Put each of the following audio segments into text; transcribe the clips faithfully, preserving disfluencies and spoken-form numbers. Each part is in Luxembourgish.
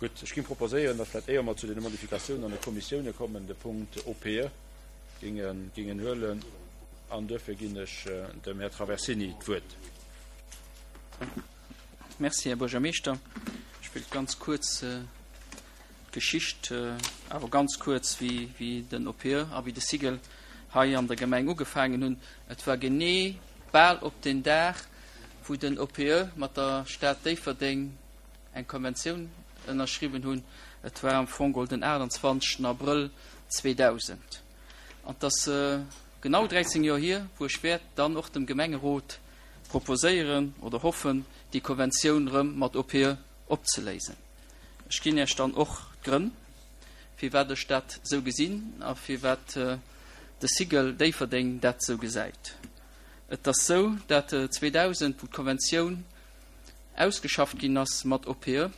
Gutt, ech géing proposéieren, datt vläicht, éier mer zu deene Modifikatiounen an de Kommissioune kommen, de Punkt O P E géingen, géingen huelen. An duerfir ginn ech dem Här Traversini d'Wuert. Merci, Här Buergermeeschter. Ech wéilt ganz kuerz d'Geschicht, awer ganz kuerz, wéi, wéi den O P E a wéi de SIGEL hei an der Gemeng ugefaangen hunn. Et war genee bal op den Dag, wou den O P E mat der Stad Déifferdeng eng Konventioun ënnerschriwwen hunn. Et war am Fong den aachtanzwanzegsten Abrëll zweedausend. An et ass genau dräizéng Joer hier, wou ech wäert dann och dem Gemengerot proposéieren oder hoffen, déi Konventioun rëm mat O P E opzeléisen. Ech ginn Iech dann och d'Grënn, firwat ech dat sou gesinn a firwat de SIGEL Déifferdeng dat sou gesäit. Et ass sou, dat zweedausend, wou d'Konventioun ausgeschafft ginn ass mat O P E,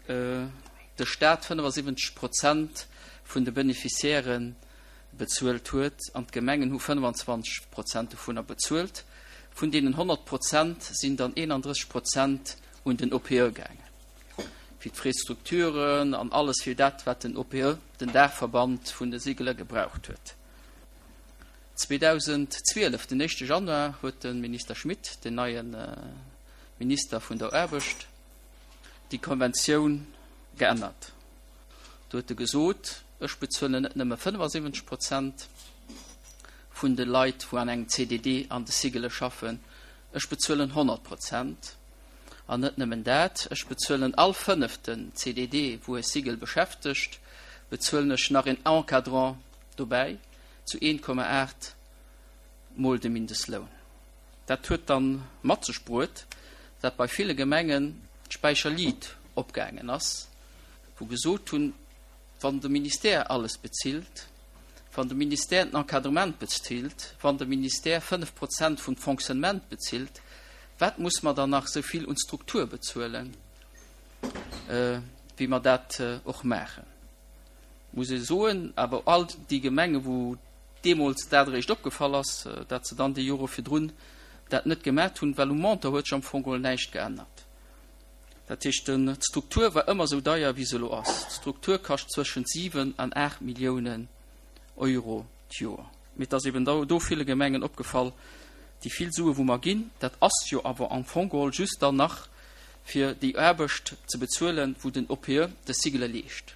de Staat fënnefasiwwenzeg Prozent vun de Beneficiairë bezuelt huet an d'Gemengen hu fënnefenzwanzeg Prozent dovunner bezuelt. Vun deenen honnert Prozent sinn dann eenandrësseg Prozent un den O P E gaangen. Fir d'Frais-Structuren an alles fir dat, wat den O P E, den Daachverband vun de SIGELe, gebraucht huet. zweedausendzwielef, den éischte Januar, huet de Minister Schmit, den neie Minister vun der Aarbecht, déi Konventioun geännert. Do huet e gesot, ech bezuelen net nëmme fënnefasiwwenzeg Prozent vun de Leit, wou an engem C D D an de SIGELe schaffen, ech bezuelen honnert Prozent. An net nëmmen dat, ech bezuelen all fënneften C D D, wou e SIGEL beschäftegt, bezuelen ech nach een Encadrant dobäi zu een Komma aacht mol de Mindestloun. Dat huet dann mat sech bruet, dat bei ville Gemengen d'Späicherliit opgaangen ass, wou gesot hunn, wann de Ministère alles bezilt, wann de Ministère den Encadrement bezilt, wann de Ministère fënnef Prozent vum Fonctionnement bezilt, wat muss mer dann nach sou vill un Struktur bezuelen, wéi mer dat och maachen? Muss ee soen, awer all déi Gemenge wou deemools dat eréischt opgefall ass, dat se dann déi Jore virdrun dat net gemat hunn, well um Montant huet sech am Fong geholl näischt geännert. Dat heescht, d'Struktur war ëmmer sou deier, wéi se elo ass. D'Struktur kascht zwëschent siwen an aacht Milliounen Euro d'Joer. Mee et ass eben do ville Gemengen opgefall, déi vill Sue wou mer ginn, dat ass jo awer am Fong geholl just dann nach fir déi Aarbecht ze bezuelen, wou den O P E de SIGELe leescht.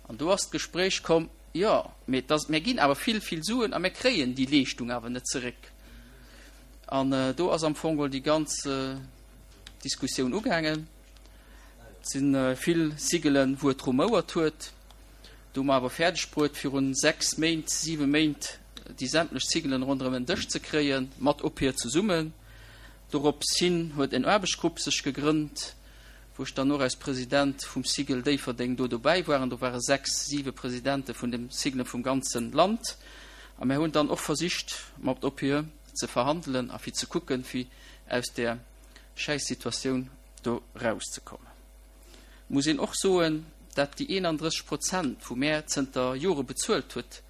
An do ass d'Gespréich komm, jo, mee dass mir ginn awer vill, vill Suen a mir kréien déi Leeschtung awer net zeréck. An do ass am Fong geholl déi ganz Diskussioun ugaangen. Et si vill SIGELen, wou et rumouert huet. Do hu mer awer fäerdeg bruet, virun sechs Méint, siwe Méint déi sämtlech SIGELen ronderëm en Dësch ze kréien, mat O P E zesummen. Dorops hin huet en Aarbechtsgrupp sech gegrënnt, wou ech dann och als President vum SIGEL Déifferdeng do dobäi war. An do ware sechs, siwe Presidente vun de SIGELe vum ganze Land. A mir hunn dann och versicht, mat O P E ze verhandelen a fir ze kucken, fir aus där Schäissituatioun do rauszekommen. Muss een och soen, dat déi eenandrësseg Prozent, wou mär zënter Jore bezuelt huet,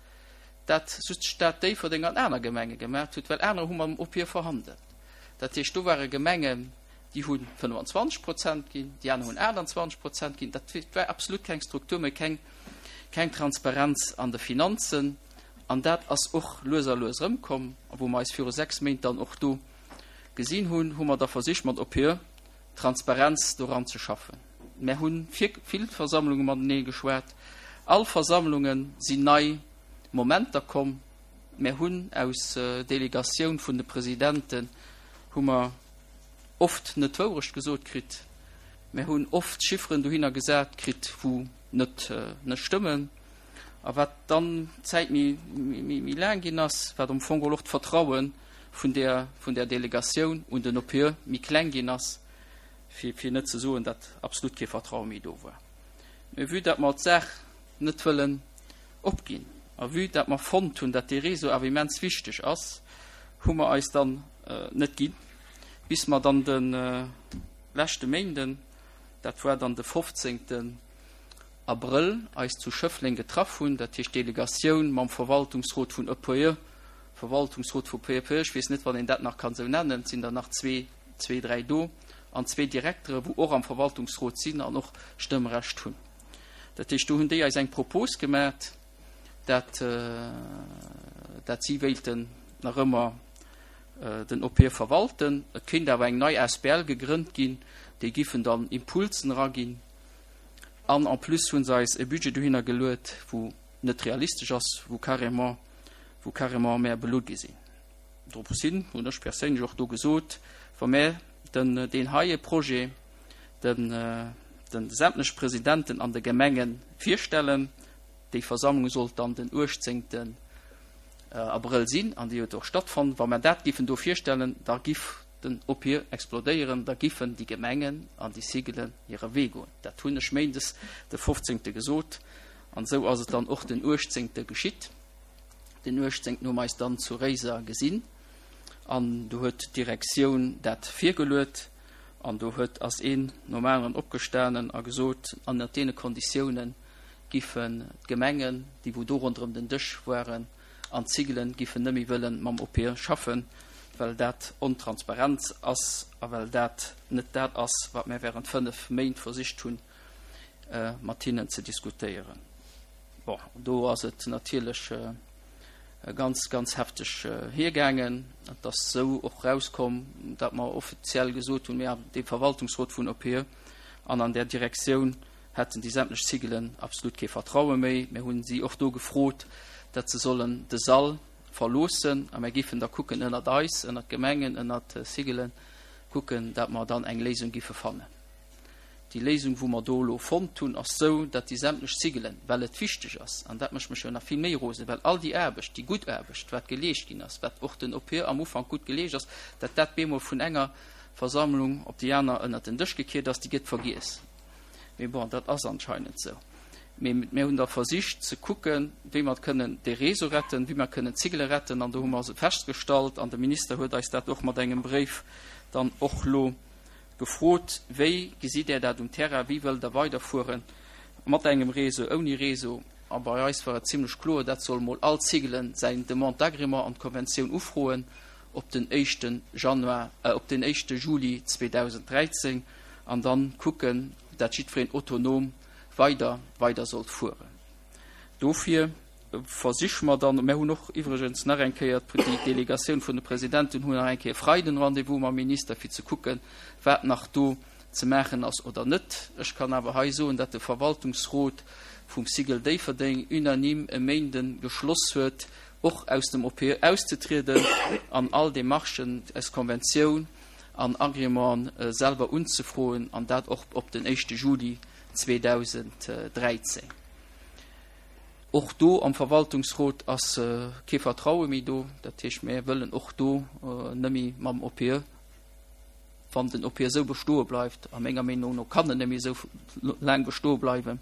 dat just d'Stad Déifferdeng an aner Gemenge gemaat huet, well aner hu mam O P E verhandelt. Dat heescht, do ware Gemengen, déi hu fënnefenzwanzeg Prozent ginn, déi aner hunn aachtanzwanzeg Prozent ginn. Dat war absolut keng Struktur méi, keng, keng Transparenz an de Finanzen. An dat ass och lues a lues erëmkomm, a wou mer eis viru sechs Méint dann och do gesinn hunn, hu mer da versicht, mat O P E Transparenz doran ze schaffen. Mär hu vill Versammlunge matenee geschwat. All Versammlunge sinn nei Momenter komm. Mär hunn aus Delegatioun vun de Presidenten hu mer oft net d'Wourecht gesot kritt. Mär hunn oft Chifferen dohinner gesat kritt, wou net net stëmmen. A wat dann d'Zäit méi méi laang ginn ass, wat am Fong och d'Vertraue vun der vun der Delegatioun un den O P E méi kleng ginn ass, fir fir net ze soen, datt absolut kee Vertraue méi do war. Mee vue datt mer d'Saach net wëllen opginn a vue datt mer fonnt hunn, datt dee Réseau awer immens wichteg ass, hu mer eis dann net ginn, bis mer dann de leschte Méinden, dat war dann de fofzéngten Abrëll, eis zu Schëffleng getraff hunn, dat heescht d'Delegatioun mam Verwaltungsrot vun O P E, Verwaltungsrot vu P E P E, ech weess net, wann een dat nach kann esou nennen, et sinn der nach zwee, zwee, dräi do, an zwee Direktere wou och am Verwaltungsrot sinn an och Stëmmrecht hunn. Dat heescht, do hunn déi eis eng Propos gemat, dat dat si wéilten nach ëmmer den O P E verwalten. Et kéint awer eng nei A S B L gegrënnt ginn, déi giffen dann Impulsen eraginn. An en plus hunn se eis e Budget dohinner geluet, wou net realistesch ass, wou carrément, wou carrément mär belutt gi sinn. Dropshin hunn ech perséinlech och do gesot, wa mär den, deen heie Projet den, den sämtlech Presidenten an de Gemenge virstellen, déi Versammlung sollt dann den uechtzéngten. Abrëll sinn an déi huet och stattfonnt, wa mer dat giffen do virstellen, da giff den O P E explodéieren, da giffen déi Gemengen an déi Cigelen hire Wee goen. Dat hunn ech méindes de fofzéngte gesot an esou ass et dann och den uechtzéngte geschitt. Den uechtzéngten hu mer eis dann zu Réiser gesinn an do huet d'Direktioun dat virgeluet an do huet ass een nom aneren opgestanen a gesot, ënnert deene Konditiounen giffen d'Gemengen, déi wou do ronderëm den Dësch waren, an d'Cigelen giffen net méi wëllen mam O P E schaffen, well dat ontransparent ass a well dat net dat ass, wat mir während fënnef Méint versicht hunn, mat hinnen ze diskutéieren. Bon, do ass et natierlech ganz, ganz hefteg hiergaangen. Et ass esou och rauskomm, datt mer offiziell gesot hunn, mir, de Verwaltungsrot vun O P E an an där Direktioun hätten déi sämtlech Cigelen absolut kee Vertraue méi. Mir hunn si och do gefrot, datt se sollen de Sall verloossen a mir giffen da kucken ënnert eis, ënnert Gemengen, ënnert Cigelen, kucken, datt mer dann eng Léisung giffe fannen. Déi Léisung, wou mer do elo fonnt hunn, ass esou, datt déi sämtlech Cigelen, well et wichteg ass, an dat mécht mech jo nach vill méi rosen, well all déi Aarbecht, déi gutt Aarbecht, wat geleescht ginn ass, wat och den O P E am Ufank gutt geleescht ass, datt dat bemol vun enger Versammlung op déi aner ënnert den Dësch gekiert ass, déi gëtt vergiess. Mee bon, dat ass anscheinend esou. Mee mir hunn da versicht ze kucken, wéi mer kënnen de Réseau retten, wéi mer kënnen d'Cigele retten, an do hu mer se festgestallt, an de Minister huet eis dat och mat engem Bréif dann och elo gefrot, wéi gesitt Där dat um Terrain, wéi wëllt Der weiderfueren, mat engem Réseau, ouni Réseau? A bei eis war et zimlech kloer, dat soll mol all Cigelen säin Demande d'agrément an d'Konventioun ufroen op den éischte Januar, op den éischte Juli zweedausend dräizéng an dann kucken, dat jiddwereen autonom weider weider sollt fueren. Dofir versiche mer dann, mir hunn och iwwregens nach eng Kéier, déi Delegatioun vun de Presidenten hunn nach eng Kéier Freiden Rendez-vous mam Minister, fir ze kucken, wat nach do ze maachen ass oder net. Ech kann awer hei soen, datt de Verwaltungsrot vum Cigl Déifferdeng unanime e Méinden geschloss huet, och aus dem O P E auszetrieden an all Demarchen aus Konventioun an Agrément selwer unzefroen, an dat och op den éischte Juli zweedausend dräizéng. Och do am Verwaltungsrot ass kee Vertraue méi do. Dat heescht, mir wëllen och do net méi mam O P E, wann den O P E esou bestoe bleift, a menger Meenung no kann en net méi esou laang bestoe bleiwen,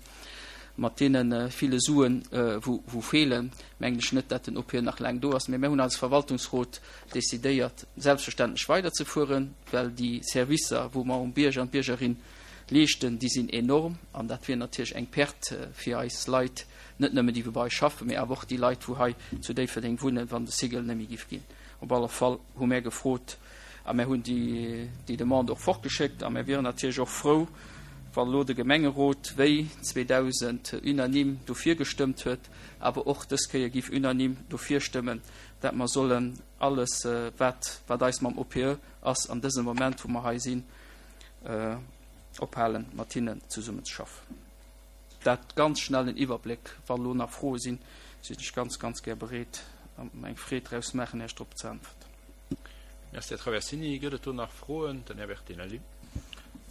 mat deene ville Suen, wou wou feelen, mengen ech net, datt den O P E nach laang do ass. Mee mir hunn als Verwaltungsrot decidéiert, selbstverständlech weiderzefueren, well déi Servicer, wou mer um Bierger an d'Biergerin leeschten, déi sinn enorm an dat wier natierlech eng Perte fir eis Leit, net nëmmen déi wou bei eis schaffen, mee awer och déi Leit wou hei zu Déifferdeng wunnen, wann de Cigl net méi giff ginn. Op alle Fall hu mär gefrot a mär hunn déi déi Demande och fortgeschéckt a mär wieren natierlech och frou, wa lo de Gemengerot wéi zweedausend unanime dofir gestëmmt huet, awer och dës Kéier giff unanime dofir stëmmen, dat mer sollen alles wat wat eis mam O P E ass an dësem Moment wou mer hei sinn, ophalen mat hinnen zesummenzeschaffen. Dat ganz schnell en Iwwerbléck. Wa lo nach Froe sinn, sinn ech ganz, ganz gär bereet a mer eng Freed draus maachen, Iech drop ze äntwerten. Merci, Här Traversini. Gëtt et do nach Froen? Den Här Bertinelli.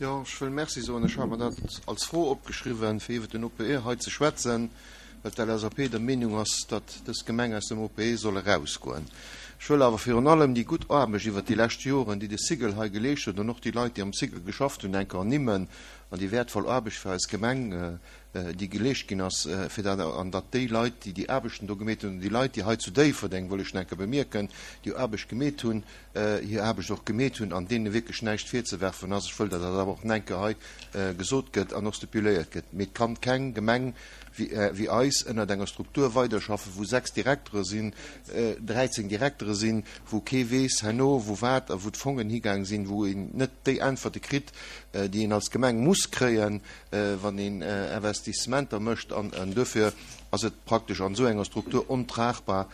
Jo, ech wëll Merci soen. Ech hat mer dat als Fro opgeschriwwen, fir iwwer den O P E hei ze schwätzen, well d'L S A P der Meenung ass, datt dës Gemeng aus dem O P E soll erausgoen. Ech wëll awer virun allem déi gutt Aarbecht iwwer déi lescht Joren, déi de Cigl hei geleescht huet, an och déi Leit, déi am Cigl geschafft hunn, enker ernimmen an déi wäertvoll Aarbecht fir eis Gemeng, déi geleescht ginn ass, fir dat, an datt déi Leit, déi déi Aarbechten do gemeet hunn, an déi Leit, déi hei zu Déifferdeng, wëll ech nach enker bemierken, déi Aarbecht gemeet hunn, hir Aarbecht och gemeet hunn an deene wierklech näischt virzewerfen ass. Ech wëll, datt dat awer och nach enker hei gesot gëtt an och stipuléiert gëtt. Mee et kann keng Gemeng wéi eis ënnert enger Struktur weiderschaffen, wou sechs Direktere sinn, dräizéng Direktere Strukture sinn, wou kee weess herno, wou wat a wou d'Fongen higaang sinn, wou een net déi Äntwerte kritt, déi een als Gemeng muss kréien, wann een Investissementer mécht. An duerfir ass et praktesch an esou enger Struktur ontragbar,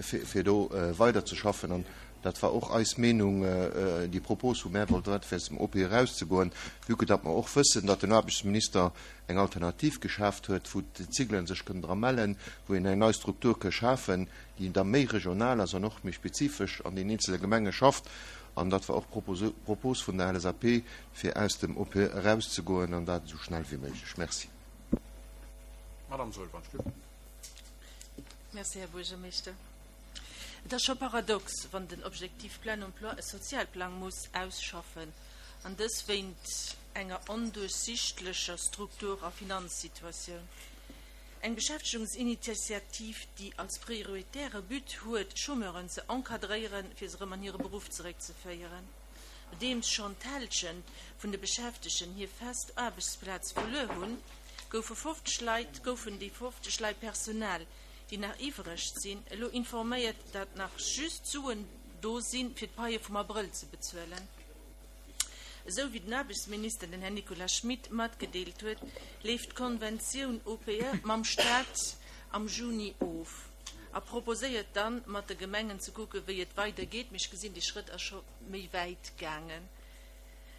fir do weiderzeschaffen. An dat war och eis Meenung, déi Propos, wou mär wollten, fir aus dem O P E erauszegoen, vue que datt mer och wëssen, datt den Aarbechtsminister eng Alternativ geschaaft huet, wou d'Ciglen sech kënnen dra mellen, wou een eng nei Struktur ka schafen, déi da méi regional ass an och méi spezifesch an den eenzele Gemenge schafft. An dat war och d'Propos vun der L S A P, fir aus dem O P E erauszegoen, an dat esou schnell wéi méiglech. Merci. Madame Zoë Van Stück. Merci, Här Buergermeeschter. Et ass scho paradox, wann den Objectif Plein Emploi e Sozialplang muss ausschaffen, an dës wéint enger onduerchsiichtlecher Struktur a Finanzsituatioun. Eng Beschäftegungsinitiativ, déi als prioritäre But huet, Chômeuren ze encadréieren, fir se erëm an hire Beruff zeréckzeféieren. Nodeems schonn d'Hälschent vun de Beschäftegten hir fest Aarbechtsplaz verluer hunn, goufe fofzeg Leit, goufen déi fofzeg Leit Personal, déi nach iwwereg sinn, elo informéiert, datt nach just Suen do sinn, fir d'Paie vum Abrëll ze bezuelen. Esou wéi den Aarbechtsminister, den Här Nicolas Schmit, matgedeelt huet, leeft d'Konventioun O P E mam Staat am Juni of a proposéiert dann, mat de Gemengen ze kucken, wéi et weidergeet. Mee ech gesinn, dee Schrëtt ass scho méi wäit gaangen.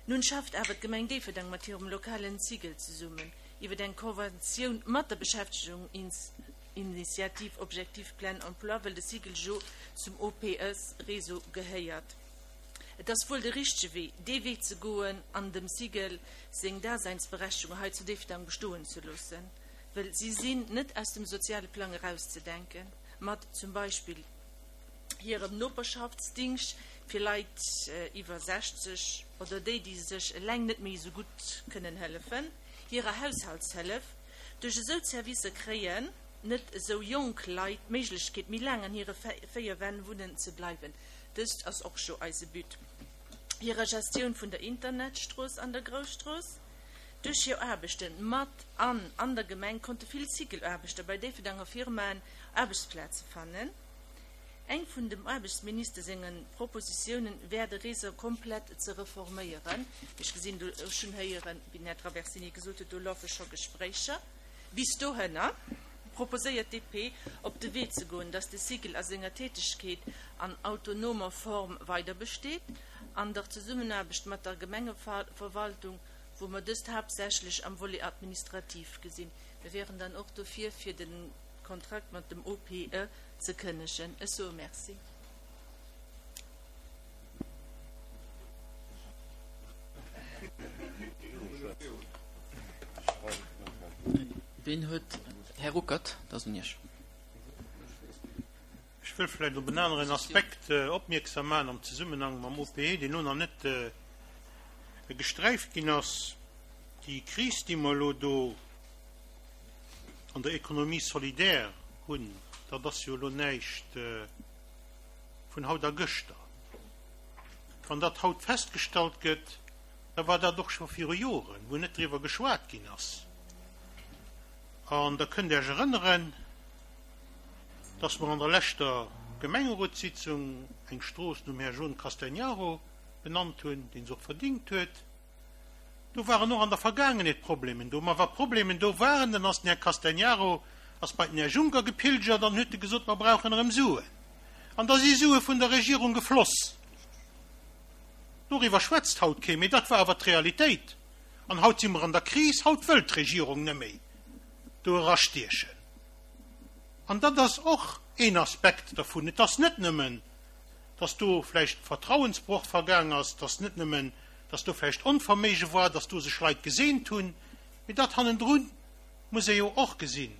Nun schafft awer d'Gemeng Déifferdeng mat hirem lokalen Cigl zesummen iwwer eng Konventioun mat der Beschäftegungsinitiativ Objectif Plein Emploi, well de Cigl jo zum O P E-Réseau gehéiert. Et ass wuel de richtege Wee, dee Wee ze goen an dem Cigl seng Daseinsberechtegung hei zu Déifferdeng bestoen ze loossen, well si sinn net aus dem soziale Plang erauszedenken, mat zum Beispill hirem Noperschaftsdingscht fir Leit iwwer sechzeg oder déi, déi sech eleng net méi esou gutt kënnen hëllefen, hirer Haushaltshëllef. Duerch esou Servicer kréien net esou jonk Leit d'Méiglechkeet, méi laang an hire véier Wänn wunnen ze bleiwen. Dëst ass och scho eise But. Hirer Gestioun vun der Internetstrooss an der Grousstrooss. Duerch hir Aarbechte mat an an der Gemeng konnte vill Cigl-Aarbechter bei Déifferdenger Firmaen Aarbechtsplaze fannen. Eng vun dem Aarbechtsminister senge Propositiounen wär, de Réseau komplett ze reforméieren. Ech gesinn do, ech hunn héieren, wéi den Här Traversini gesot huet, do lafe scho Gespréicher. Bis dohinner proposéiert D P, op de Wee ze goen, datt de Cigl a senger Tätegkeet an autonomer Form weider besteet, an der Zesummenaarbecht mat der Gemengeverwaltung, wou mer dëst haaptsächlech am Volet administratif gesinn. Mir wären dann och dofir, fir de Kontrakt mat dem O P E ze kënnegen. Ech soe Merci. Wien huet? Här Ruckert, dat ass un Iech. Ech wëll vläicht op en aneren Aspekt opmierksam maachen am Zesummenhang mam O P E, deen elo nach net gesträift ginn ass. Déi Kris, déi mer elo do an der Économie solidaire hunn, dat ass jo elo näischt vun haut a gëschter. Wann dat haut festgestallt gëtt, da war dat och scho viru Joren, wou net driwwer geschwat ginn ass. An da kënnt Dir Iech erënneren, dass mer an der leschter Gemengerotssitzung eng Strooss nom Här John Castagnaro benannt hunn, deen se och verdingt huet. Do waren och an der Vergaangenheet Problemen do. Ma wa Problemen do waren, dann ass den Här Castagnaro ass bei den Här Juncker gepilgert an huet gesot, mer brauchen erëm Suen. An da si Sue vun der Regierung gefloss. Doriwwer schwätzt haut kee méi, dat war awer d'Realitéit. An haut si mer an der Kris, haut wëllt d'Regierung net méi do erastiechen. An dat ass och een Aspekt dervun. Et ass net nëmmen, dass do vläicht Vertrauensbroch vergaang ass, dass net nëmmen, dass do vläicht Onverméige war, dass do sech Leit geseent hunn, mee dat hannendrun muss ee jo och gesinn.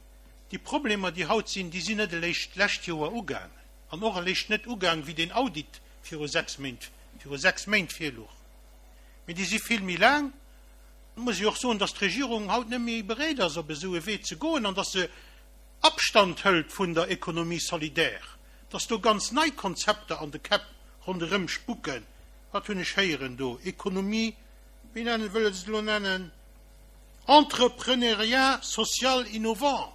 Déi Problemer, déi haut sinn, déi sinn net eréischt d'lescht Joer ugaangen an och eréischt net ugaang, wéi deen Audit viru sechs Méint, viru sechs Méint virluch, mee déi si vill méi laang. Et muss ee jo och soen, dass d'Regierung haut net méi bereet ass, op esou e Wee ze goen an dass se Abstand hëlt vun der Économie solidaire, dass do ganz nei Konzepter an de Käpp ronderëm spuken. Wat hunn ech héieren do? Économie, wéi nennen, wëlle se et elo nennen? Entrepreneuriat social innovant.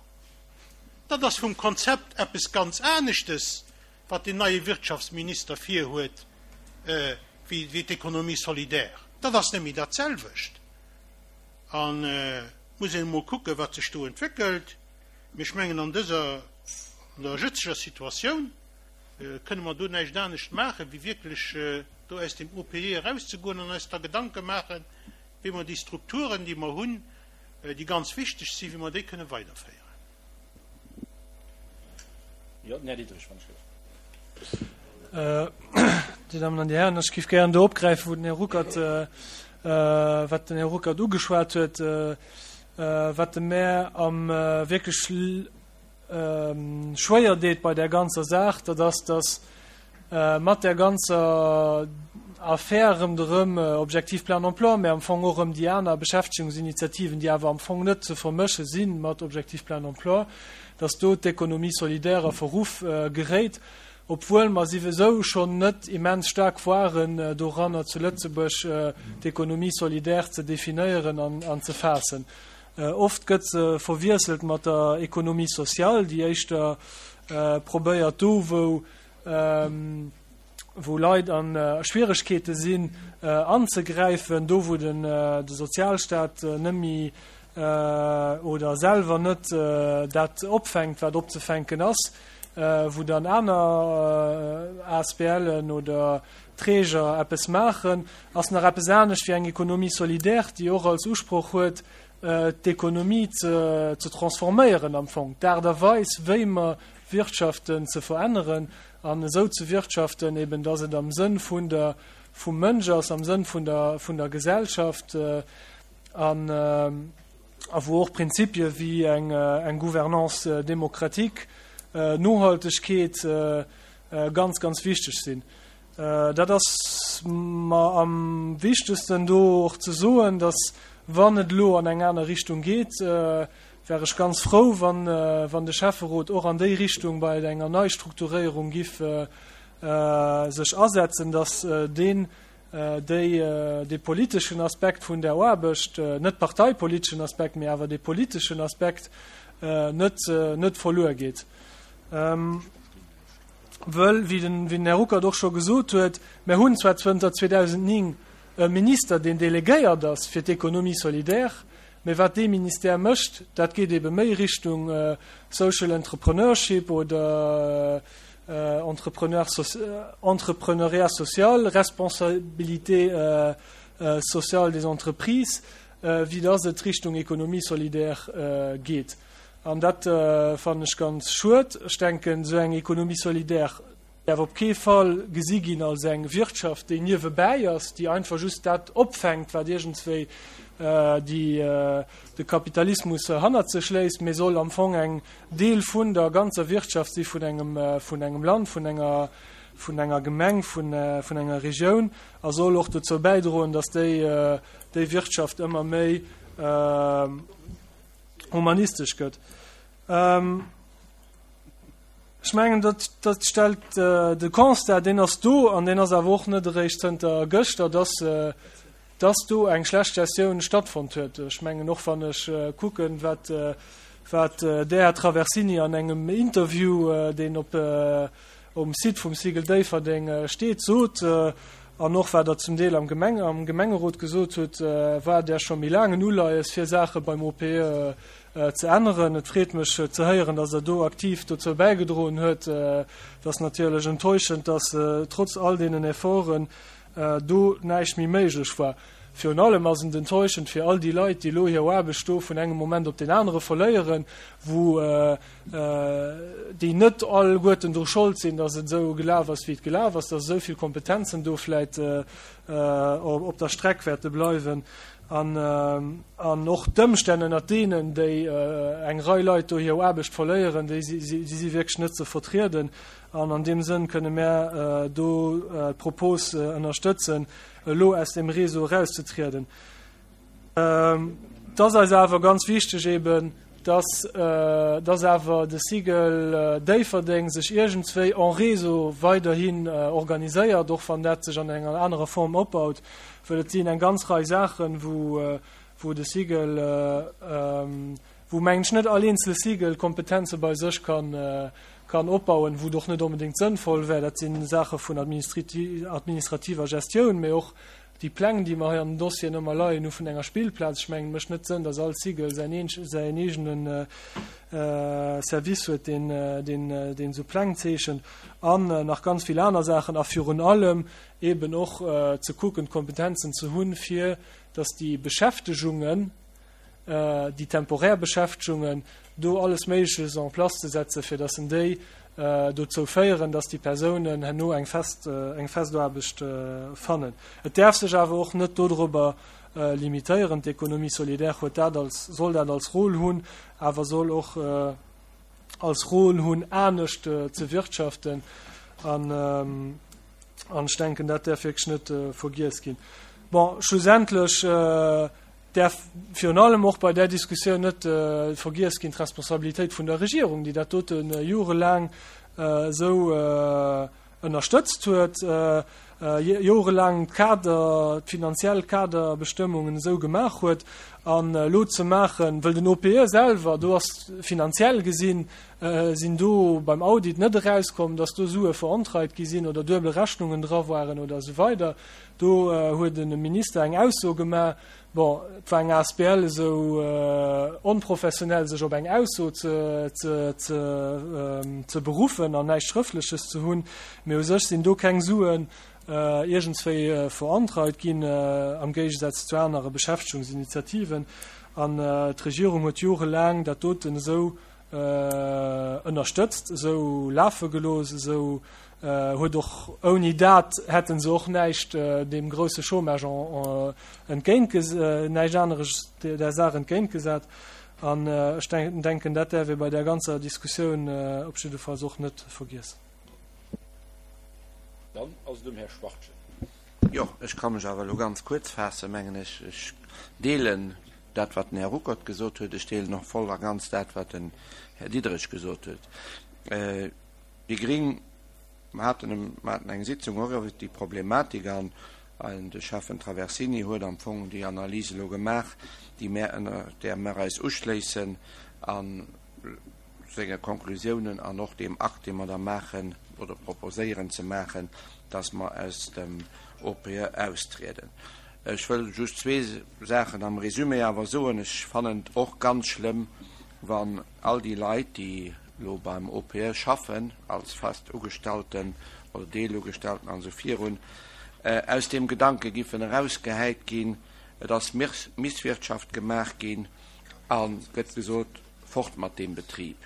Dat ass vum Konzept eppes ganz aneschtes, wat deen neie Wirtschaftsminister virhuet, wéi d'Économie solidaire. Dat ass net méi dat selwecht. An et muss een emol kucken, wat sech do entwéckelt. Mee ech mengen, an dëser, an der jëtzeger Situatioun kënne mer do näischt anescht maachen, wéi wierklech do aus dem O P E erauszegoen an eis da Gedanke maachen, wéi mer déi Strukturen, déi mer hunn, déi ganz wichteg sinn, wéi mer déi kënne weiderféieren. Jo, den Här Diderich, wann ech géif. Dir Dammen an Dir Hären, ech géif gären do opgräifen, wou den Här Ruckert, wat den Här Ruckert ugeschwat huet, wat de mär am wierklech schwéier deet bei där ganzer Saach, dat ass, dass mat där ganzer Affär ronderëm Objectif plein emploi, mä am Fong och ëm déi aner Beschäftegungsinitiativen, déi awer am Fong net ze vermësche si mat Objectif plein emploi, dass do d'Économie solidaire a Verruff geréit, obwuel mer siwesou schonn net immens staark waren doranner zu Lëtzebuerg d'Économie solidaire ze definéieren an ze faassen. Oft gëtt se verwiesselt mat der Économie sociale, déi éischter probéiert do wou wou Leit an Schwieregkeete sinn anzegräifen, do wou den de Sozialstaat net méi oder selwer net dat opfänkt wat opzefänken ass, wou dann aner A S B Len oder Träger eppes maachen, ass nach eppes anescht wéi eng Économie solidaire, déi och als Usproch huet d'Ekonomie ze ze transforméieren am Fong, d'Aart a Weis wéi mer wirtschaften ze veränneren an esou ze wirtschaften eben, dass et am Sënn vun der vum Mënsch ass, am Sënn vun der vun der Gesellschaft an a wou och Prinzipie wéi eng eng Gouvernance démocratique, Nohaltegkeet ganz ganz wichteg sinn. Dat ass mer am wichtegsten do och ze soen, dass wann et elo an eng aner Richtung geet, wär ech ganz frou, wann wann de Schäfferot och an déi Richtung bei enger Neistrukturéierung giff sech asetzen, dass deen déi dee politeschen Aspekt vun der Aarbecht, net parteipoliteschen Aspekt, mee awer dee politeschen Aspekt net net verluer geet. Wëll, wéi den wéi den Här Ruckert och scho gesot huet, mir hunn zwar zënter zweedausendnéng e Minister, deen delegéiert ass fir d'Économie solidaire, mee wat dee Ministère mécht, dat geet ebe méi Richtung Social Entrepreneurship oder Entrepreneuriat social, Responsabilité sociale des entreprises, wéi dass et Richtung Économie solidaire geet. An dat fannen ech ganz schued. Ech denken, esou eng Économie solidaire däerf op kee Fall gesi ginn als eng Wirtschaft, déi niewebäi ass, déi einfach just dat opfänkt, wat iergendswéi déi de Kapitalismus hannert sech léisst, mee soll am Fong eng Deel vun der ganzer Wirtschaft si vun engem vun engem Land, vun enger vun enger Gemeng, vun vun enger Regioun a soll och dozou bäidroen, datt déi déi Wirtschaft ëmmer méi humanistesch gëtt. Ech mengen, dat dat stellt de Constat, deen ass do an deen ass awer och net eréischt zënter gëschter, dass dass do eng schlecht Gestioun stattfonnt huet. Ech mengen, och wann ech kucken, wat wat Der, Här Traversini, an engem Interview, deen op um Site vum Cigl Déifferdeng steet, sot, an och wat Der zum Deel am Gemeng am Gemengerot gesot hutt, war Der scho méi laang en Uleies, fir Saache beim O P E ze änneren. Et freet mech ze héieren, dass Der do aktiv dozou bäigedroen huet. Et ass natierlech enttäuschend, dass trotz all deenen Efforten do näischt méi méiglech war. Virun allem ass et enttäuschend fir all déi Leit, déi elo hir Aarbecht do vun engem Moment op deen anere verléieren, wou déi net alleguerten dru Schold sinn, dass et esou gelaf ass, wéi et gelaf ass, dass esou vill Kompetenzen do vläit op der Streck wäerte bleiwen an an och d'Ëmstänn, ënnert deenen déi eng Rei Leit do hir Aarbecht verléieren, déi si wierklech net ze vertrieden. An an deem Sënn kënne mär do d'Propos ënnerstëtzen, elo aus dem Réseau erauszetrieden. Et ass eis awer ganz wichteg eben, dass dass awer de Cigl Déifferdeng sech iergendswéi en Réseau weiderhin organiséiert, och wann dat sech an enger anerer Form opbaut, well et sinn eng ganz Rei Saachen, wou wou de Cigl, wou mengen ech net all eenzele Cigl Kompetenze bei sech kann kann opbauen, wou et och net onbedéngt sënnvoll wär. Dat si Saache vun administrativer Gestioun, mee och déi Pläng, déi mer hei an den Dossieren ëmmer leien hu vun enger Spillplaz. Ech mengen, et mécht net Sënn, dass all Cycle säin säin eegene Service huet, deen, deen, deen esou Pläng zeechent an nach ganz vill aner Saachen. A virun allem eeben och ze kucken, d'Kompetenzen ze hunn, fir dass déi Beschäftegungen, déi temporär Beschäftegungen, do alles Méigleches en place ze setzen, fir dass en déi dozou féieren, dass déi Persounen herno eng fest, eng fest Aarbecht fannen. Et däerf sech awer och net dodrobber limitéieren. D'Économie solidaire huet dat als, soll dat als Rôle hunn, awer soll och als Rôle hunn, anescht ze wirtschaften. An, an ech denken, dat däerf wierklech net vergiess ginn. Bon, schlussendlech däerf virun allem och bei där Diskussioun net vergiess ginn d'Responsabilitéit vun der Regierung, déi dat dote jorelaang esou ënnerstëtzt huet, jorelaang d'Kader, d'finanziell Kaderbestëmmungen esou gemaach huet. An elo ze maachen, wëll den O P E selwer, do ass finanziell gesinn, sinn do beim Audit net erauskomm, dass do Sue verontreit gi sinn oder duebel Rechnungen dra waren oder esou weider. Do huet de Minister eng Ausso gemaach. Bon, et war eng A S B L esou onprofessionell, sech op eng Ausso ze, ze, ze, ze beruffen an näischt Schrëftleches ze hunn. Mee u sech sinn do keng Suen iergendswéi verontreit ginn, am Géigesaz zu anere Beschäftegungsinitiativen. An d'Regierung huet jorelaang dat doten esou ënnerstëtzt, esou lafe gelooss, esou huet och ouni dat hätte se och näischt deem grousse Chômage entgéint, näischt aneres der Saach entgéintgesat. An ech denken, dat däerf ee bei där ganzer Diskussioun op jiddefalls och net vergiessen. Dann ass et um Här Schwachtgen. Jo, ech ka mech awer elo ganz kuerz faassen, mengen ech. Ech deelen dat, wat den Här Ruckert gesot huet. Ech deelen och voll a ganz dat, wat den Här Diderich gesot huet. Déi Gring haten, mer haten eng Sitzung och iwwert déi Problematik an de Schäffen Traversini huet am Fong déi Analys elo gemaach, déi mär ënner där mer eis uschléissen a senge Konklusiounen an och deem Akt, dee mer da maachen oder proposéieren ze maachen, dass mer aus dem O P E austrieden. Ech wëll just zwee Saachen am Résumé awer soen. Ech fannen et och ganz schlëmm, wann all déi Leit, déi elo beim O P E schaffen, als fest Ugestallten oder Deelugestellten an esou virun, aus deem Gedanke giffen erausgehäit ginn, et ass Misswirtschaft gemaach ginn a gëtt gesot, fort mat deem Betrib.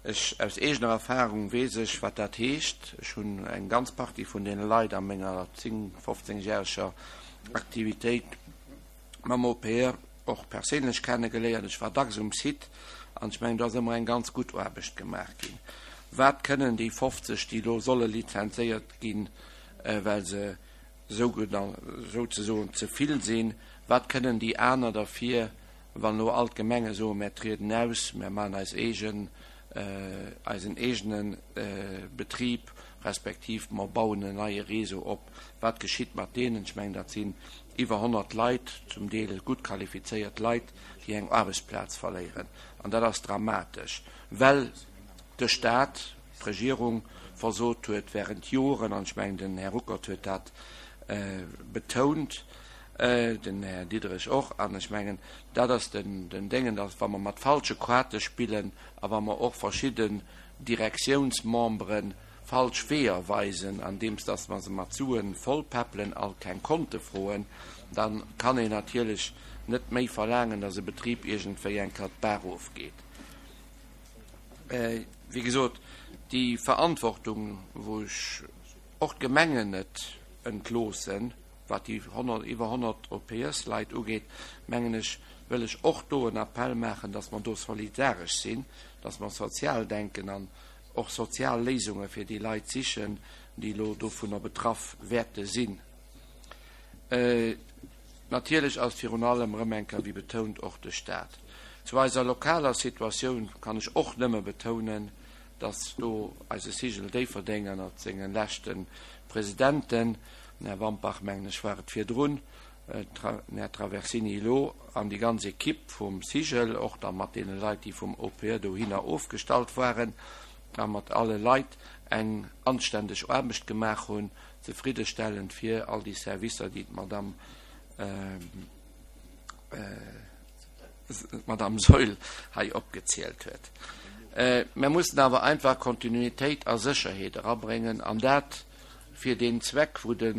Ech, aus eegener Erfahrung weess ech, wat dat heescht. Ech hunn eng ganz Partie vun deene Leit a menger zéng, fofzéngjäreger Aktivitéit mam O P E och perséinlech kennegeléiert. Ech war dacks um Site an ech mengen, do ass ëmmer eng ganz gutt Aarbecht gemaach ginn. Wat kënnen déi fofzeg, déi elo solle lizenzéiert ginn, well se souzesoen ze vill sinn, wat kënnen déi aner derfir, wann elo all d'Gemenge soen, mär trieden aus, mär maachen eis eegen, eisen eegene Betrib, respektiv mer bauen en neie Réseau op, wat geschitt mat deenen? Ech mengen, dat sinn iwwer honnert Leit, zum Deel gutt qualifizéiert Leit, déi eng Aarbechtsplaz verléieren. An dat ass dramatesch, well de Stat, d'Regierung versot huet während Joren, an ech mengen, den Här Ruckert huet dat betount, den Här Diderich och, an ech mengen, dat ass den Déngen, dass wa mer mat falsche Kaarte spillen a wa mer och verschidden Direktiounsmembere falsch Weeër weisen, andeems dass mer se mat Sue vollpäppelen a keng Konte froen, da kann een natierlech net méi verlaangen, dass e Betrib iergendwéi eng Kéier d'Baach erofgeet. Wéi gesot, déi Verantwortung, wou ech och d'Gemengen net entloossen, wat déi iwwer honnert O P E-Leit ugeet, mengen ech, wëll ech och do en Appell maachen, dass mer do solidaresch sinn, dass mer sozial denken an och sozial Léisunge fir déi Leit sichen, déi elo dovunner betraff wäerte sinn. Natierlech ass virun allem erëm eng Kéier, wéi betount, och de Stat. Zu eiser lokaler Situatioun kann ech och nëmme betounen, dass do eise Cigl Déifferdeng ënnert senge leschte Presidenten, den Här Wampach, mengen ech, war et virdrun, den Här Traversini elo, an déi ganz Equipe vum Cigl, och da mat deene Leit, déi vum O P E dohinner ofgestallt waren, a mat alle Leit eng anständeg Aarbecht gemaach hunn, zefriddestellend fir all déi Servicer, déi d'Madame d'Madame Saeul hei opgezielt huet. Mer mussen awer einfach Kontinuitéit a Sécherheet erabréngen, an dat fir deen Zweck, wou de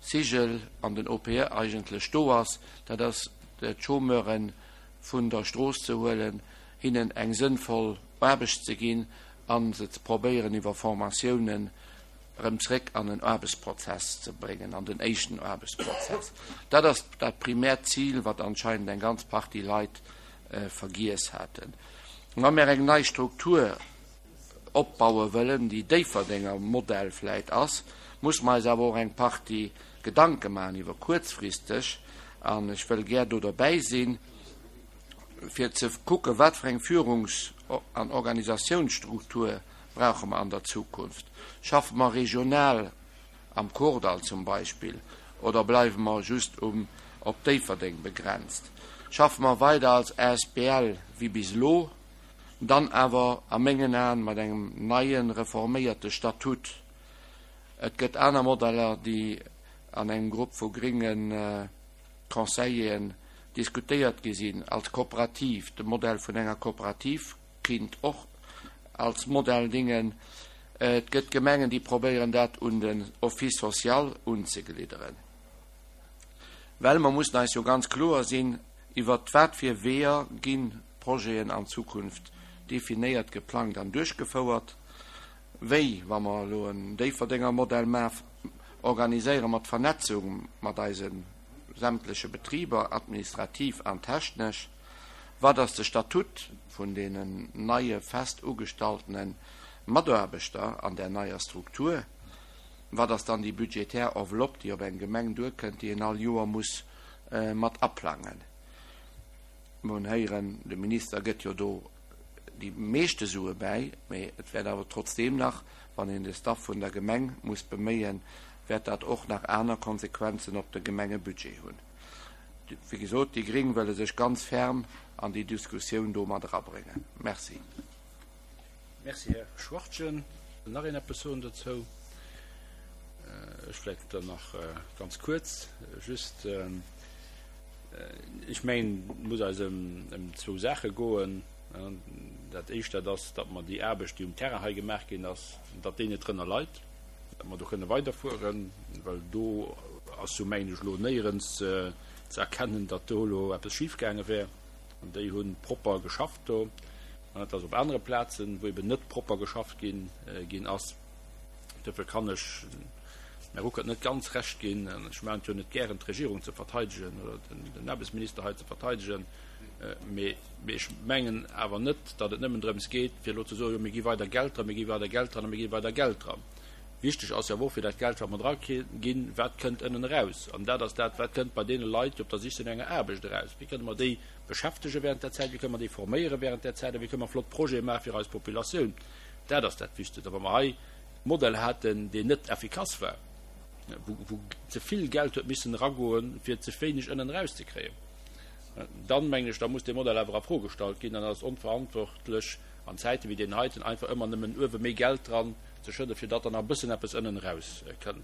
CIGL an den O P E eigentlech do ass, dat ass d'Chômeure vun der Strooss ze huelen, hinnen eng sënnvoll Aarbecht ze ginn a se ze probéieren iwwer Formatiounen erëm zréck an en Aarbechtsprozess ze bréngen, an den éischten Aarbechtsprozess. Dat ass dat primäert Zil, wat anscheinend eng ganz Partie Leit vergiess haten. Wa mir eng nei Struktur opbaue wëllen, déi Déifferdenger Modell vläit ass, muss mer eis awer och eng Partie Gedanke maachen iwwer kuerzfristeg, an ech wëll gär do derbäi sinn, fir ze kucken, wat fir eng Führungs an Organisatiounsstruktur brauche mer an der Zukunft. Schaffe mer regional am Kordall zum Beispill oder bleiwe mer just um op Déifferdeng begrenzt? Schaffe mer weider als A S B L wéi bis elo, dann awer a mengen Aen mat engem neie reforméierte Statut? Et gëtt aner Modeller, déi an engem Grupp vu grénge Conseilleren diskutéiert gi sinn, als Kooperativ. De Modell vun enger Kooperativ kinnt och als Modell dingen. Et gëtt Gemengen, déi probéieren, dat un den Office social unzeglidderen. Well mer mussen eis jo ganz kloer sinn, iwwer wat fir Weeër ginn Projeten an Zukunft definéiert, geplangt an duerchgefouert. Wéi, wa mer elo en Déifferdenger Modell maachen, organiséiere mer d'Vernetzung mat eise sämtleche Betriber, administrativ an technesch? Wat ass de Statut vun deenen neie fest ugestalltene Mataarbechter an der neier Struktur? Wat ass dann déi budgetär Enveloppe, déi op eng Gemeng duerkënnt, déi een all Joer muss mat aplangen? Mer hunn héieren, de Minister gëtt jo do déi meeschte Sue bäi, mee et wäert awer trotzdeem nach, wann een de Staff vun der Gemeng muss beméien, wäert dat och nach aner Konsequenzen op de Gemengebudget hunn. Wéi gesot, déi Gréng wëlle sech ganz ferm an déi Diskussioun do mat erabréngen. Merci. Merci, Här Schwachtgen. Wëll nach een eppes soen dozou? Ech vläicht dann nach ganz kuerz. Just, ech mengen, et muss eis ëm zwou Saache goen. Dat Éischt, dat ass, datt mer déi Aarbecht, déi um Terrain hei gemaach ginn ass, datt déi net drënner leit, datt mer do kënne weiderfueren, well do ass jo, mengen ech, elo néierens ze erkennen, datt do elo eppes schifgaange wär. Déi hu propper geschafft do. Et ass op anere Plazen, wou eben net propper geschafft ginn ginn ass. Duerfir kann ech dem Här Ruckert net ganz Recht ginn. Ech maachen et jo net gären, d'Regierung ze verteidegen oder den Aarbechtsminister hei ze verteidegen. Mee ech mengen awer net, datt et nëmmen drëms geet, fir elo ze soen, jo mir gi weider Geld dran, mir gi weider Geld dran a mir gi weider Geld dran. Wichteg ass jo awer och fir dat Geld, wat mer dra ginn, wat kënnt ënnen eraus? An dat ass dat, wat kënnt bei deene Leit, déi op der Sich sinn no enger Aarbecht, eraus? Wéi kënne mer déi beschäftege während där Zäit? Wéi kënne mer déi forméiere während där Zäit? A wéi kënne mer flott Projete maache fir eis Populatioun? Dat ass dat Wichtegst. A wa mer hei e Modell haten, deen net effikass war, wou ze vill Geld huet missen eragoen, fir ze wéineg ënnen erauszekréien, dann, mengen ech, da muss dee Modell awer a Fro gestallt ginn an dat ass onverantwortlech an Zäite wéi deenen heiten, einfach ëmmer nëmmen uewe méi Geld dran ze schëdden, fir datt dann nach e bëssen eppes ënnen erauskënn.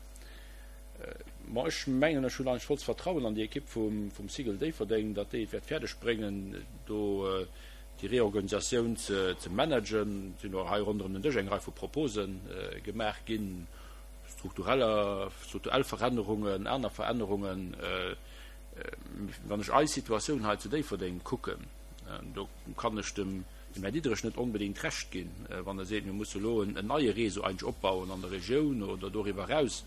Bon, ech mengen, ech hunn eigentlech vollst Vertrauen an déi Ekipp vum, vum CIGL Déifferdeng, datt déi et wäert fäerdeg bréngen, do déi Reorganisatioun ze, ze managen. Et sinn och hei ronderëm den Dësch eng Rei vu Propose gemaach ginn, struktureller, strukturell Verännerungen, aner Verännerungen. Wann ech eis Situatioun hei zu Déifferdeng kucken, do kann ech dem Här Diderich net onbedéngt Recht ginn, wann e seet, mir musse elo en neie Réseau eigentlech opbauen an der Regioun oder doriwwer eraus,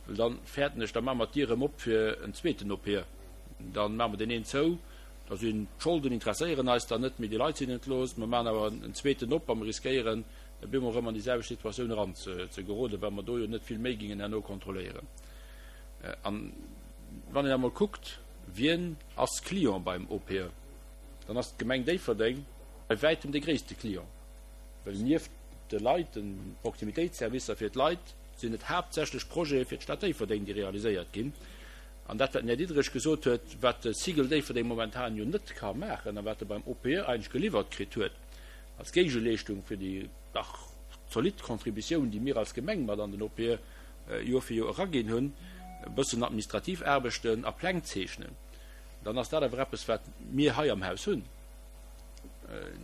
well da fäerten ech, da maache mer d'Dier erëm op fir en zweeten O P E. Da maache mer deen een zou, da sinn d'Scholden, interesséieren eis dann net méi, déi Leit sinn entlooss, mer maachen awer en zweeten op a mer riskéieren, op eemol erëm an déi selwecht Situatioun eranzegeroden, well mer do jo net vill méi gingen herno kontrolléieren. An wann een emol kuckt, wien ass Client beim O P E, dann ass d'Gemeng Déifferdeng bei wäitem de gréisste Client, well nieft de Leit, de Proximitéitsservicer fir d'Leit, sinn et haaptsächlech Projete fir d'Stad Déifferdeng, déi realiséiert ginn. An dat, wat den Här Diderich gesot huet, wat de CIGL Déifferdeng momentan jo net ka maachen a wat e beim O P E eigentlech geliwwert kritt huet als Géigeleeschtung fir déi dach zolidd Contributioun, déi mir als Gemeng mat an den O P E Joer fir Joer eraginn hunn, e bëssen administrativ Aarbechten a Pläng zeechnen, dann ass dat awer eppes, wat mir hei am Haus hunn.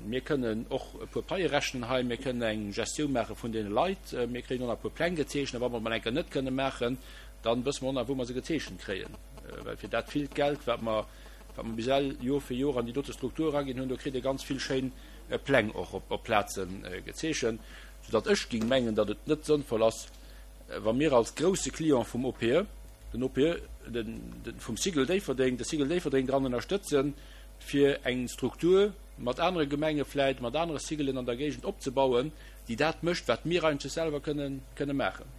Mir kënnen och e puer Paie rechnen hei, mir kënnen eng Gestioun maache vun deene Leit, mir kréien och nach e puer Pläng gezeechent, a wa mer et mol eng Kéier net kënne maachen, da wësse mer och nach, wou mer se gezeechent kréien. Well fir dat villt Geld, wat mer, wat mer bis ewell Joer fir Joer an déi dote Struktur eraginn hunn, do kritt ee ganz vill schéin Pläng och op Plaze gezeechent, soudatt ech géing mengen, datt et net sënnvoll ass, wa mir als grousse Client vum O P E, den O P E den, den, vum Cigl Déifferdeng, de Cigl Déifferdeng dran ënnerstëtzen, fir eng Struktur mat anere Gemenge vläit, mat anere Ciglen an der Géigend opzebauen, déi dat mécht, wat mir eigentlech selwer kënnen, kënne maachen.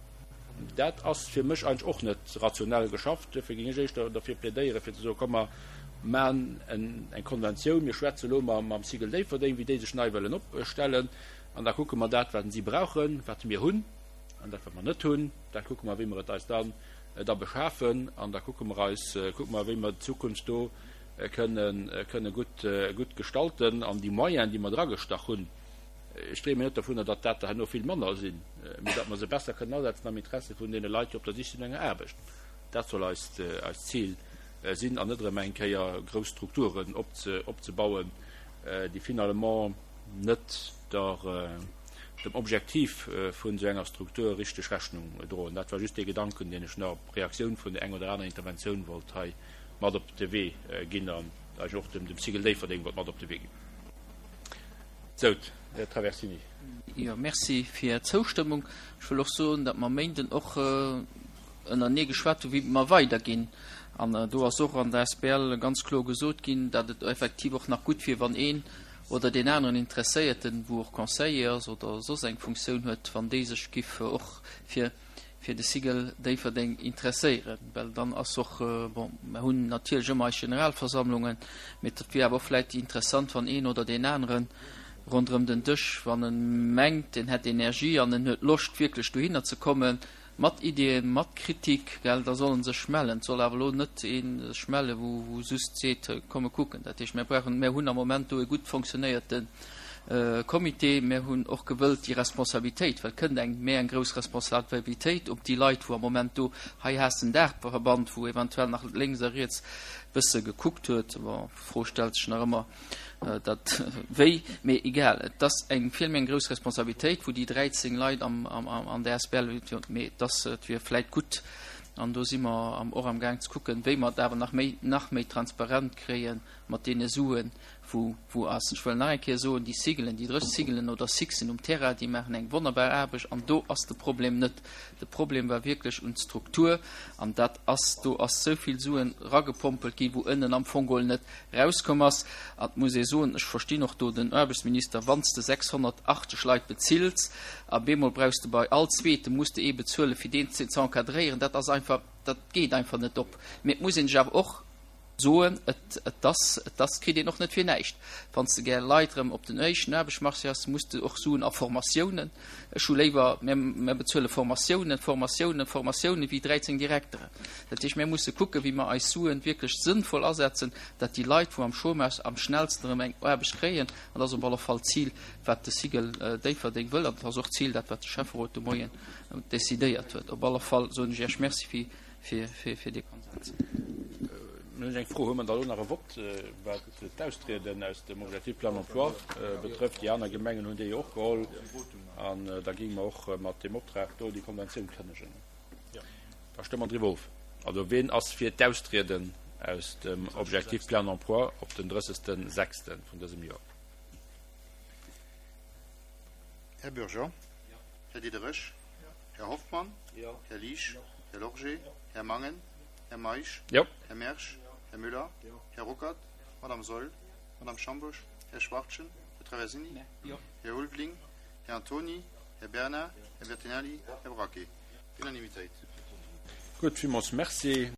Dat ass fir mech eigentlech och net rationell geschafft. Duerfir géing ech éischter derfir plädéieren, fir ze soen, komm mer maachen eng Konventioun, mir schwätze elo mam Cigl Déifferdeng, wéi déi sech nei wëllen opstellen, an da kucke mer dat, wat si brauchen, wat mir hunn, an dat, wat mer net hunn, dat kucke mer, wéi mer et eis dann da beschafen, an da kucke mer eis, kucke mer, wéi mer d'Zukunft do kënnen, kënne gutt, gutt gestalten. An déi Moyenen, déi mer dragestach hunn, ech dreemen net dovunner, datt dat der herno vill manner sinn, mee datt mer se besser kënnen asetzen am Interesse vun deene Leit, déi op der Sich sinn no enger Aarbecht. Dat soll eist, eist Zil sinn, an net erëm eng Kéier grouss Strukturen opze, opzebauen, déi finalement net der, dem Objektiv vun esou enger Struktur richteg Rechnung droen. Dat war just dee Gedanken, deen ech nach op Reaktioun vun der eng oder aner Interventioun wollt hei mat op de Wee ginn an eigentlech och dem Cigl Déifferdeng wollt mat op de Wee ginn. Sou, Här Traversini. Jo, merci fir Är Zoustëmmung. Ech wëll och soen, datt mer Méinden och ënnerenee geschwat hunn, wéi mer weiderginn. An do ass och an der S B L ganz kloer gesot ginn, datt et effektiv och nach gutt wier, wann een oder deen aneren Interesséierten, wou och Conseiller ass oder soss eng Funktioun huet, wann déi sech giff och fir fir de Cigl Déifferdeng interesséieren, well dann ass och, bon, mer hunn natierlech ëmmer eis Generalversammlungen, mee et wier awer och vläicht interessant, wann een oder deen aneren ronderëm den Dësch, wann en mengt, en hätt Energie an en huet Loscht wierklech dohinner ze kommen, mat Iddien, mat Kritik, gell, da soll en sech mellen. Et soll awer elo net ee sech mellen, wou wou just seet, komm e kucken. Dat heescht, mir brauchen, mir hunn am Moment do e gutt fonctionnéierte Comité. Mir hunn och gewëllt déi Responsabilitéit, well et kënnt eng méi eng grouss Responsabilitéit op déi Leit, wou am Moment do, hei has den Daachverband, wou eventuell nach lénks a riets bësse gekuckt huet. Bon, d'Fro stellt sech nach ëmmer, dat wéi, mee egal, et ass eng vill méi eng grouss Responsabilitéit, wou déi dräizéng Leit am, am, an der A S B L, mee et ass, et wier vläit gutt, an do si mer am, och am Gaang ze kucken, wéi mer et awer nach méi, nach méi transparent kréie mat deene Suen, wou, wou ass. Ech wëll nach eng Kéier soen, déi Ciglen, déi dräi Ciglen oder Sixen um Terrain, déi maachen eng wonnerbar Aarbecht an do ass de Problem net. De Problem war wierklech un d'Struktur an dat ass, do ass sou vill Suen ragepompelt ginn, wou ënnen am Fong geholl net rauskomm ass. An et muss ee soen, ech verstinn och do den Aarbechtsminister, wann s de sechshonnertachtzeg Leit bezills a bemol brauchs de bei all zweete muss de ee bezuelen, fir deen ze encadréieren, dat ass einfach, dat geet einfach net op. Mee et muss een sech awer och soen, et, et ass, et ass, kritt een och net fir näischt. Wann s de gär Leit erëm op den éischten Aarbechtsmarché has, muss de och Suen a Formatiounen. Ech hu léiwer, mir, mir bezuele Formatiounen, Formatiounen, Formatiounen wéi dräizéng Direkteren. Dat heescht, mir musse kucken, wéi mer eis Suen wierklech sënnvoll asetzen, datt déi Leit, wou am Chômage, am schnellsten erëm eng Aarbecht kréien. An dat ass op alle Fall d'Zil, wat de Cigl Déifferdeng wëll. An dat ass och d'Zil, dat wat de Schäfferot de Moien decidéiert huet. Op alle Fall soen ech Iech Merci fir, fir, fir, fir dee Konsens. Mir hunn eng Fro, Hu mer da elo nach e Vott, wat d'Austrieden aus dem Objectif plein emploi betrëfft? Déi aner Gemengen hunn dee jo och geholl. An da géinge mer och mat deem Optrag do déi Konventioun kënnegen. Da stëmme mer driwwer of. Also, wien ass fir d'Austrieden aus dem Objectif plein emploi op den drëssegste sechste vun dësem Joer? Här Bürger? Här Diderich? Här Hoffmann? Här Liesch? Här Lorgé? Här Mangen? Här Meisch? Här Mersch? Här Müller? Här Ruckert? Madame Saeul? Madame Schambusch? Här Schwartjen? Här Traversini? Här Ulveling? Här Antoni? Här Bernard? Här Bertinelli? Här Braquet? Unanimitéit. Gutt, villmools merci.